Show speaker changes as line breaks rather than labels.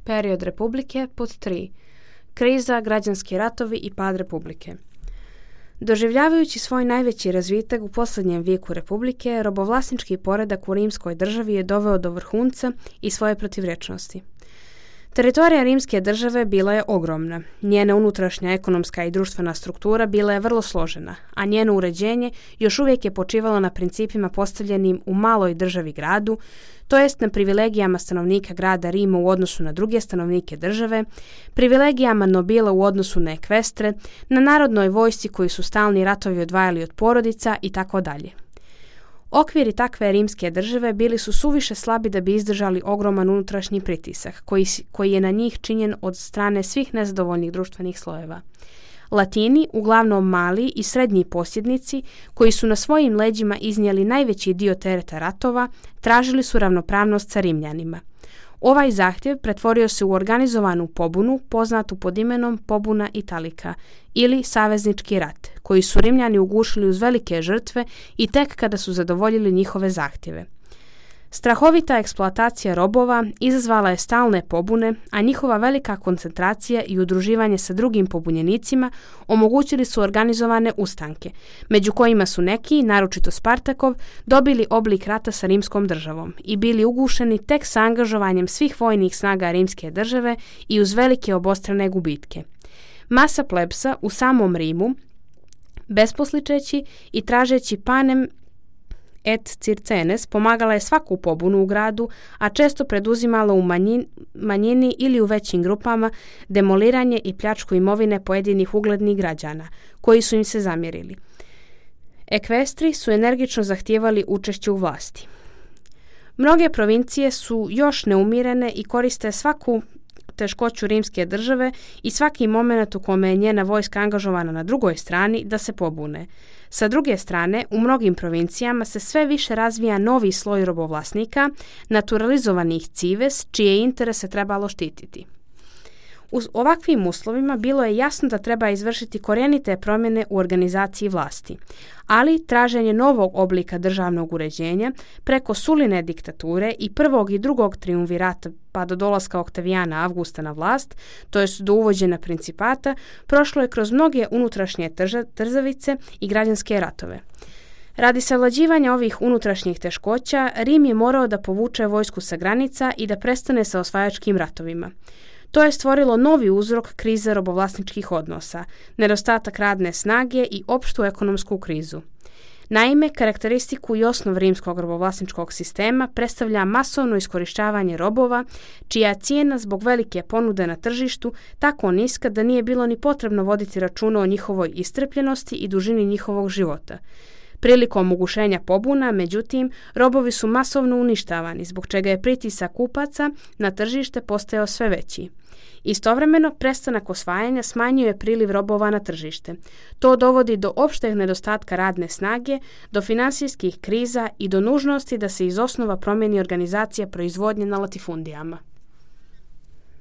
Period republike pod 3. Kriza, građanski ratovi i pad republike. Doživljavajući svoj najveći razvitak u posljednjem vijeku republike, robovlasnički poredak u rimskoj državi je doveo do vrhunca i svoje protivrečnosti. Teritorija rimske države bila je ogromna, njena unutrašnja ekonomska i društvena struktura bila je vrlo složena, a njeno uređenje još uvijek je počivalo na principima postavljenim u maloj državi gradu, to jest na privilegijama stanovnika grada Rima u odnosu na druge stanovnike države, privilegijama nobila u odnosu na ekvestre, na narodnoj vojsci koji su stalni ratovi odvajali od porodica i tako dalje. Okviri takve rimske države bili su suviše slabi da bi izdržali ogroman unutrašnji pritisak koji je na njih činjen od strane svih nezadovoljnih društvenih slojeva. Latini, uglavnom mali i srednji posjednici, koji su na svojim leđima iznijeli najveći dio tereta ratova, tražili su ravnopravnost sa Rimljanima. Ovaj zahtjev pretvorio se u organizovanu pobunu poznatu pod imenom Pobuna Italika ili saveznički rat, koji su Rimljani ugušili uz velike žrtve i tek kada su zadovoljili njihove zahtjeve. Strahovita eksploatacija robova izazvala je stalne pobune, a njihova velika koncentracija i udruživanje sa drugim pobunjenicima omogućili su organizovane ustanke, među kojima su neki, naročito Spartakov, dobili oblik rata sa rimskom državom i bili ugušeni tek sa angažovanjem svih vojnih snaga rimske države i uz velike obostrane gubitke. Masa plebsa u samom Rimu, besposličeći i tražeći panem et circenes, pomagala je svaku pobunu u gradu, a često preduzimala u manjini ili u većim grupama demoliranje i pljačku imovine pojedinih uglednih građana, koji su im se zamjerili. Ekvestri su energično zahtijevali učešće u vlasti. Mnoge provincije su još neumirene i koriste svaku teškoću rimske države i svaki moment u kome je njena vojska angažovana na drugoj strani da se pobune. Sa druge strane, u mnogim provincijama se sve više razvija novi sloj robovlasnika, naturalizovanih cives, čije interese trebalo štititi. U ovakvim uslovima bilo je jasno da treba izvršiti korjenite promjene u organizaciji vlasti, ali traženje novog oblika državnog uređenja preko Suline diktature i prvog i drugog triumvirata pa do dolaska Oktavijana Avgusta na vlast, to jest do uvođenja principata, prošlo je kroz mnoge unutrašnje trzavice i građanske ratove. Radi savlađivanja ovih unutrašnjih teškoća, Rim je morao da povuče vojsku sa granica i da prestane sa osvajačkim ratovima. To je stvorilo novi uzrok krize robovlasničkih odnosa, nedostatak radne snage i opštu ekonomsku krizu. Naime, karakteristiku i osnov rimskog robovlasničkog sistema predstavlja masovno iskorištavanje robova, čija cijena zbog velike ponude na tržištu tako niska da nije bilo ni potrebno voditi računa o njihovoj iscrpljenosti i dužini njihovog života. Prilikom ugušenja pobuna, međutim, robovi su masovno uništavani, zbog čega je pritisak kupaca na tržište postajao sve veći. Istovremeno, prestanak osvajanja smanjuje priliv robova na tržište. To dovodi do opšteg nedostatka radne snage, do finansijskih kriza i do nužnosti da se iz osnova promijeni organizacija proizvodnje na latifundijama.